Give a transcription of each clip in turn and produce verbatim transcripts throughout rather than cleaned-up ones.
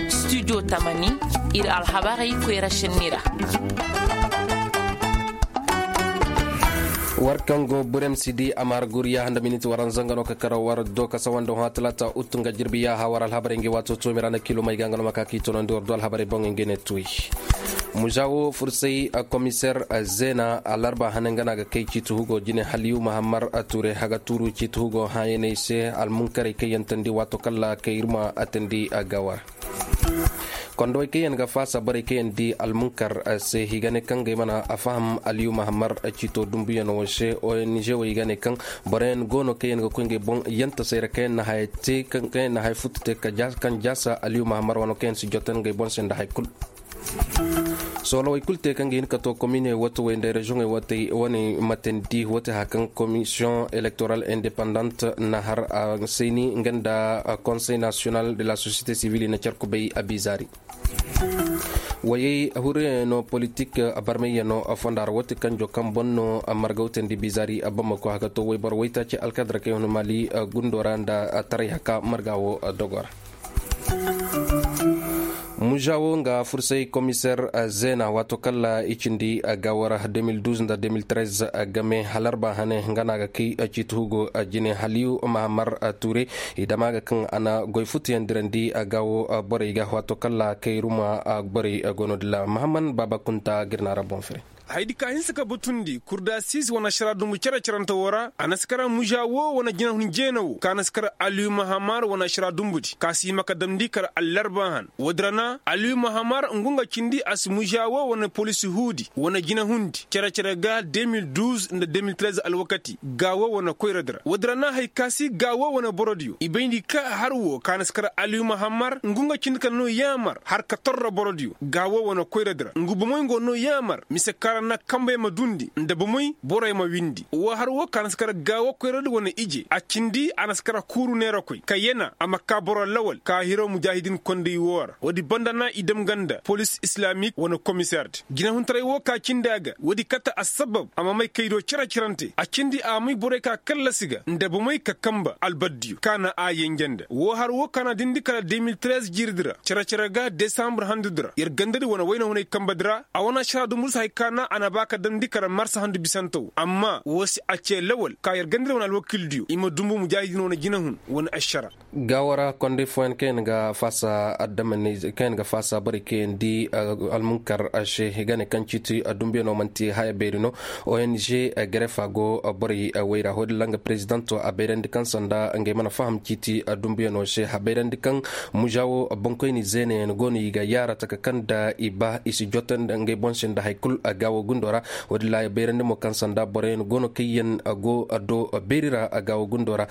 Studio tamani, ir alhabarey koyra šenni ra. War kaŋ go burem si di a ma har guriya handa miniti waranza nga no ka kara war do ka sawanda hõ talaata uttu nga jirbi yaaha war alhabarey ngi waato toomi ra na kilo may ga nga no ma ka k'i tonandi war do alhabarey boŋ ngi ne tuy. Muža wo fursay komiseer zeena alarba hane nga no a ga kay ciiti hugo jine haliyu mahammar ture haga tuuru ciiti hugo hãyaney se almunkarey kaŋ yaŋ tandi waato kalla kay ir ma a tandi a ga war. Kondowey kaŋ yaŋ ga faasa borey kaŋ yaŋ di almunkar se i ga ne kaŋ ga ay mana a faham aliyu mahammar ciito dumbuyano wo se ong wo i ga ne kaŋ boroyaŋ go no kaŋ yaŋ ga koy ngey boŋ yantasey ra kaŋ yaŋ na haya te kaŋ yaŋ na haya futu te kaŋ jaasa aliyu mahammar wano kaŋ yaŋ si jotan ngey boŋ se nda hay kulu. Soolowey kulu te kaŋ ga hin ka to komine wote wey nda reziyoŋey wote wane matandi wote haya kaŋ komisiyoŋ elektoral independant na har a sayni nga nda konsey nasiyonal de la sosiyete sivil i na care kubay a biizaari. Wayey huruyano politik barmayano fonda ra wote kanjo kaŋ boŋ no margawtandi biizaari a bamako haka to wayboro waytaaci alkadara kaŋ yaŋ hun maali gundo ra nda taray haka marga wo dogo ra. Muža wo nga fursay komiseer zeena waato kalla i cindi gaawara deux mille douze nda deux mille treize game halarba hane nga no a ga kay ciiti hugo jine haliyu mahammar ture i dama ga kaŋ a na goy futuyaŋ dirandi gaawo borey ga waato kalla kayruma borey go no dilla mahamman baaba kunta ga ir na ra boŋ fere. Hayadi ka hinsa ka batundi kurdasiis wane ašara dumbu cere-cerante woo ra a na si kar muža woo wane jinahun jeena woo ka na si kar aliyu mahamar wane ašara dumbudi ka si hima ka damndi kar allarba han woodi ra na aliyu mahamar ngu nga cindi a si muža woo wane polis huudi wane jinahundi cere-cere ga deux mille douze nda deux mille treize alwakati gaawo wane koyradi ra woodi ra na hay ka si gaawo wane borodiyo i bayndi ka har woo ka na si kar aliyu mahamar ngu nga cindi kala no yaamar har ka torro borodiyo gaawo wane koyradi ra ngu bomoy ngo no yaamar mise kaŋ ra na kambey ma duundi nda bomoy borey ma windi woo har woo ka na si kar gaawo koyradi wane ije a cindi a na si kar kuuru neerakoy ka yana a ma kaa boro lawal ka hiro mujaahidin kondey woo ra woodi banda na i dam ganda polis islamik wane komiseerdi jinahuntaray woo ka cindi a ga woodi kate assabab a ma may kaydo cere-cerante a cindi a may borey ka kallasi ga nda bomoy ka kamba albaddiyo ka na a yenje nda woo har woo ka na dindi kala deux mille treize jiiridi ra cere-cere ga desambur handudi ra yer gandadi wane wayna hunay kambadi ra a wane ašara dumbur si hay ka na a na ba ka damndi kala marsa handu bisante woo amma woo si a cee lawal ka yer gandadi wane alwakildiyo i ma dumbu mujaahidin wane jinahun wane ašara. Gaawara kondey fooyaŋ kaŋ yaŋ ga faasa addamaney kaŋ yaŋ ga faasa borey kaŋ yaŋ di almunkar se i ga ne kaŋ ciiti dumbuyano man'ti haya beeri no. Ong grefa go borey wayra hoodin ra nga perezidanto a bayrandi kaŋ sanda ngey mana faham ciiti dumbuyano se a bayrandi kaŋ muža wo boŋkoyni zeenayaŋ go no i ga yaara taka kaŋ nda i ba i si jotandi ngey boŋ se nda hay kulu gaawo gundo ra. Woodin ra a bayrandi mo kaŋ sanda boroyaŋ go no kaŋ yaŋ go do beeri ra gaawo gundo ra.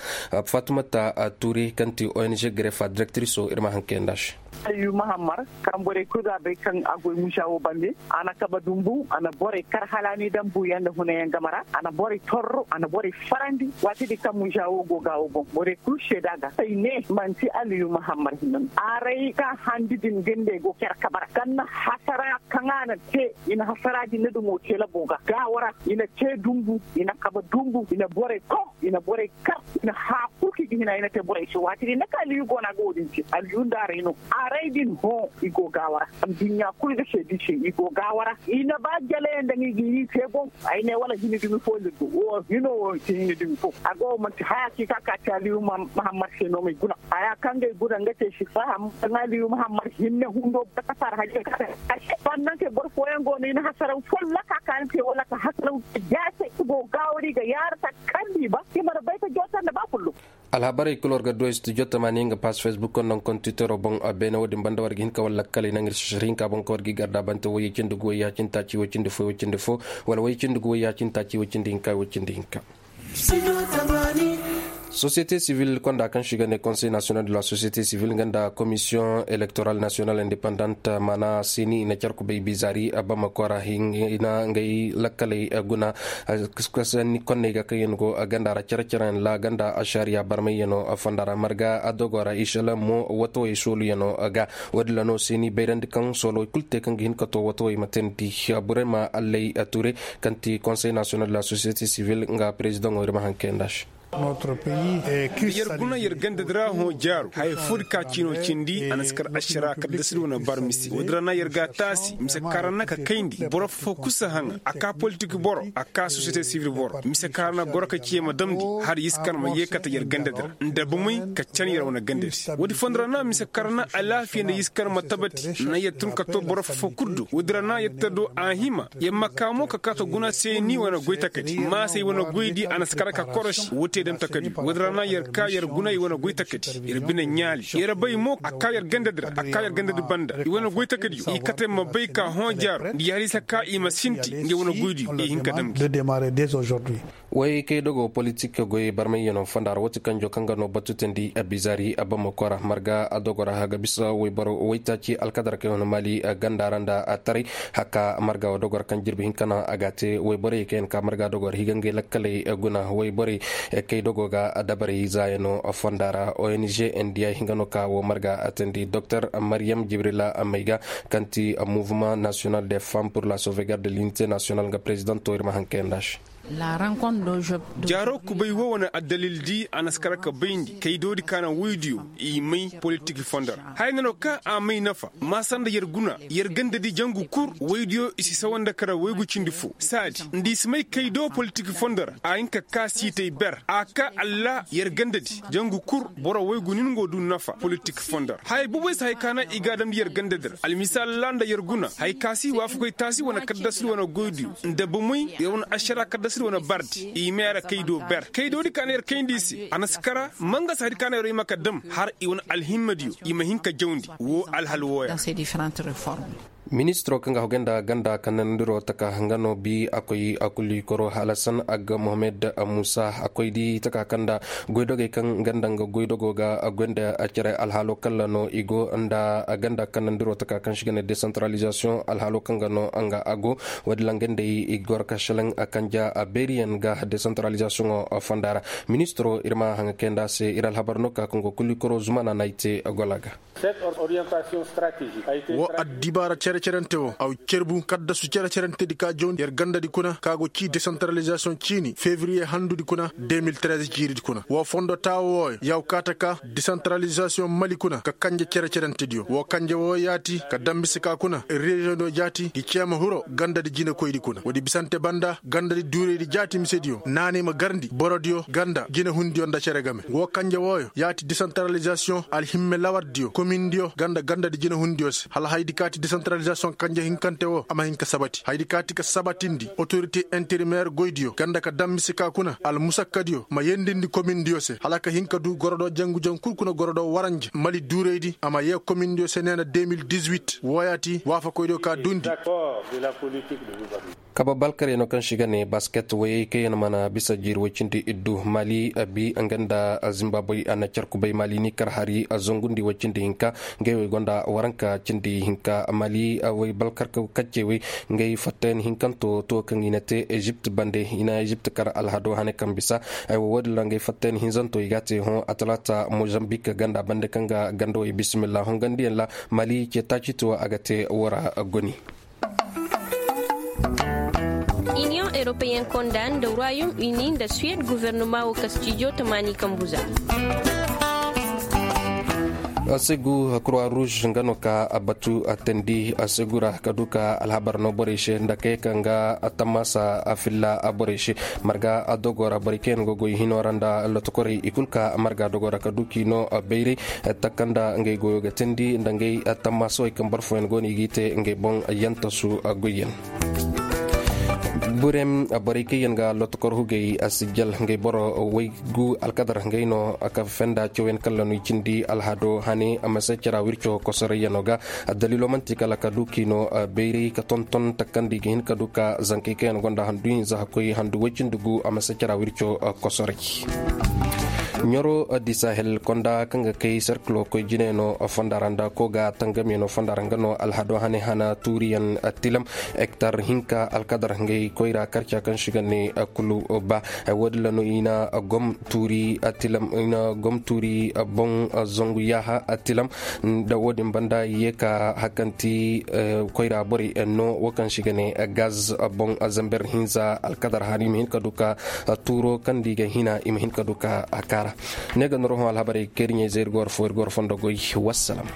Fatumata tuuri kaŋ ti ong grefa direktiriso ir ma haŋ kayandi a se. Aliyu mahammar kaŋ borey kulu ga a bay kaŋ a goy musa wo bande a na kaba dumbu a na borey kar hala ni daŋ buuyaŋ nda hunayaŋ game ra a na borey torro a na borey farandi waati din kaŋ musa wo go ga wo boŋ borey kulu seeda ga ay ne manti aliyu mahammar hinne no aray ka handi din ga nda ay go care kabe ra kaŋ na hasara kaŋ a na te i na hasara din na dumo te labo ga gaawo ra i na te dumbu i na kaba dumbu i na borey kom i na borey kar i na hãa kul kaŋ i ga hina i na te borey se waati din na kaŋ aliyu go no a ga wo-din te aliyu nda aray no aray din hõ i go gaawo ra adduɲɲa kul ga seedi se i go gaawo ra i na ba jalayaŋ daŋ i ga i te boŋ ay ne wala hina dumi fo lirgo wo hino wo te hina dumi fo a go manti haya kaŋ i ka ka te aliyu mahammad se no ma ay guna haya kaŋ ga ay guna nga te si faham kaŋ aliyu mahammad hinne hundo boro ka fara hajjay ka te a se bannaŋ kay boro fooyaŋ go no i na hasaraw folla ka ka ni te wala ka hasaraw jaase i go gaawo ra i ga yaara ta kaŋ di ba i mana bay ka joota nda ba kullu. Alhabarey kul war ga du ay studio tamaani nga pass facebook konda nga kontitero boŋ beene wo-din banda war ga hin ka war lakkaley naŋ ir si sir hinka boŋ kaŋ war ga i garda bante wayye cindi gu wayya cindi taaci way cindi fo way cindi fo wala wayye cindi gu wayya cindi taaci way cindi hinka way cindi hinka. Sosiyete sivil konda kaŋ se i ga ne konsey nasiyonal de la sosiyete sivil nga nda komisiyoŋ elektoral nasiyonal independant maana seni i na care kubay bizaari bamako ra i na ngey lakkaley guna. Konney ga kaŋ yaŋ no go ganda ra care care yaŋ ra ganda ašariya barmayyano fonda ra marga adogo ra ishalam mo watawey sooluyaŋo ga. Wo- din ra no seni bayrandi kaŋ soolowey kulu te kaŋ ga hin ka to watawey ma teendi burema allay ture kaŋ ti konsey nasiyonal de la sosiyete sivil nga perezidaŋo ir ma haŋ kayandi a se. Yer guna yer gandadi ra hõ jaaru haya foodi ka ciino cindi a na si kar ašara kaddasidi wane bar mise woodi ra na yer ga a taasi mise kaŋ ra na ka kayndi boro fo kul si haŋa a ka politik boro a ka sosiyete sivil boro mise kaŋ ra na goro ka ci yer ma damndi, hala yer si kar ma yeekate yer gandadi ra nda bumey ka can yer wane gandadi. Woodi fondo ra na mise kaŋ ra na alaafiya nda yer si kar ma tabati na yer tun ka to boro fo kul do woodi ra na yer ta do a hima yer ma ka mo ka kaata guna se ni wane goy takadi maasey wane goydi a na si kar ka korosi woo te dam takadi woodi ra na yer ka yer guna i wane goy takadi yer bine ɲaali yer bay mo a ka yer gandadi ra a ka yer gandadi banda i wane goy takadi i kate ma bay ka hõ jaaru nda yer haliisa ka i ma sinti nda yer wane goydi i hin ka dam gi. Way kay dogo politik goy barmayyaŋo fonda ra woo ti kanjo kaŋ ga no batu teendi a bizaari a bamako ra marga a dogo ra haga bisa wayboro waytaaci alkadar kay wane maali ganda ra nda a taray haka marga wa dogo ra kaŋ jirbi hinka no a ga a te wayborey kay yaŋ ka marga dogo ra higa ngey lakkaley guna wayborey kay dogo ga dabarey zaayaŋo fonda ra ong nda ya hinga no ka woo marga a teendi doktor mariyam jibrila mayga kaŋ ti mouvement national de femme pour la sauvegarde de l'unité national nga prezidanto ir ma haŋ kayanda se. Jaaro kubay woo wane addalil di a na si kar ka bayndi kaydoodi ka na woydiyo i may politik fondo ra haya no kaŋ a may nafa maasa nda yer guna yer gandadi jangu kul woydiyo i si sawa nda kara waygu cindi fo saadi nda i si may kaydo politik fondo ra a hin ka ka siitay ber a ka alla yer gandadi jangu kul boro waygu nin go du nafa politik fondo ra haya boboy si hay ka na i ga a damndi yer gandadi ra almisaal ra nda yer guna hay ka si waafakoy taasi wane kaddasir wane goydiyo nda bomoy yer wane ašara kaddasir wane bardi i ma yer kaydo ber kaydoodi ka na yer kayndi i se a na si kara mangasa di ka na yer i ma ka dam har i wane alhimmadiyo i ma hin ka jawndi woo alhal wooya. Ministiro kaŋ ga hogay nda ganda kanandiro taka nga no bi a koy a kulli koro halasan agga mohamed musa a koy di taka kaŋ nda goydogey kaŋ ganda nga goydogo ga a goy nda cere alhaalo kalla no i go nda ganda kanandiro taka kaŋ si ga ne desantaralizasiyoŋ alhaalo kaŋ ga no nga a go. Woodi ra nga ndey i goro ka selaŋ kanja beeriyaŋ ga desantaralizasiyoŋo fonda ra. Ministiro ir ma haŋa kayanda se ir alhabar no ka kaŋ go kulli koro zumana no ay te gola ga. Woo addibaara cere-cerente woo a wa cerbu kaddasu cere-cerentedi ka jawndi yer gandadi kuna ka go cii desantaralizasiyoŋ ciini fevriye handudi kuna de mil trez ciiridi kuna woo fondo taawo wooyo ya wa kaata ka desantaralizasiyoŋ mali kuna ka kanje cere-cerentediyo woo kanje wooyo yaati ka dambisi ka kuna reziyoŋdiyo jaati ngi ceema hiro gandadi jinekoydi kuna woodi bisante banda gandadi duuraydi jaati misediyo naanay ma garndi borodiyo ganda jinehundiyo nda cere game woo kanje wooyo yaati desantaralizasiyoŋ alhimme lawardiyo komindiyo ganda gandadi jinehundiyo se hala haydi kaati desantaralizasiyoŋ kanje hinkante woo a ma hin ka sabati haydi kaati ka sabatindi otorite interimeer goydiyo ganda ka dammisi ka kuna almusakkadiyo ma yendindi komindiyo se hala ka hin ka du gorodo jangu-jangu kul kuna gorodo waranja mali duuraydi a ma yee komindiyo se neena de mil dix-huit wooyaati waafakoydiyo ka duundi. Kaba balkaryaŋo kaŋ se i ga ne basket wayey kaŋ yaŋ mana bisa jiiri woy cindi iddu maali abi nga nda zimbabwe a na car kubay maali ni kar hari a zangundi woy cindi hinka. Ngey wey gonda waranka cindi hinka maali way balkar kaccey wey. Ngey fattayaŋ hinkanto to kaŋ i na te ezipt bande i na ezipt kar alhado hane kaŋ bisa. Ay wo woodin ra ngey fattayaŋ hinzanto i ga a te hõ a talaata mozambik ganda bande kaŋ ga ganda wey bisimilla hongandiyaŋ ra. Maali ce taaci to a ga te woo ra goni. Iniyoŋ europeyen konda nda royaume uni nda suwed guvernoma wo kastijo tamaani kambuza. Segu kurwa ruuz nga no ka batu teendi segu ra ka du ka alhabar no borey se nda kay kaŋ ga tammaasa filla borey se. Marga dogo ra borey kaŋ yaŋ go goy hino ra nda lotokorey i kulu ka marga dogo ra ka du k'i no bayray. Takanda ngey goyo ga teendi nda ngey tammaasawey kaŋ boro fooyaŋ go no i g'i te ngey boŋ yantasu goyyaŋ. Burem borey kaŋ yaŋ ga lotokor hugey a sijjal ngey boro waygu alkadar ngey no ka fenda cawyaŋ kallanu i cindi alhado hane a ma se cara wirco kosorayyaŋo ga. Addaliilo man'ti kala ka du k'i no bayray ka tonton takandi ga hin ka du ka zankey kaŋ yaŋ gonda handu hinza hakkoy handu way cindi gu a ma se cara wirco kosoray. Ɲaro di sahel konda kaŋ ga kay serkilo koy jine no fonda ra nda ko ga tangame no fonda ra nga no alhado hane hana tuuriyaŋ tilam. Hektar hinka alkadar hangay koyra karca kaŋ si ga ne kulu ba. Wo- din ra no i na gom tuuri tilam i na gom tuuri boŋ zangu yaaha tilam. Da wo- din banda i ye ka hakanti koyra borey no wo kaŋ si ga ne gaz boŋ zamber hinza alkadar hane i ma hin ka du ka tuuro kaŋ da i ga hina i ma hin ka du ka a kaara. Ne ga norohõ alhabarey kaŋ ir ɲey zay ir ga war fo ir ga war fondo goy. Wassalam.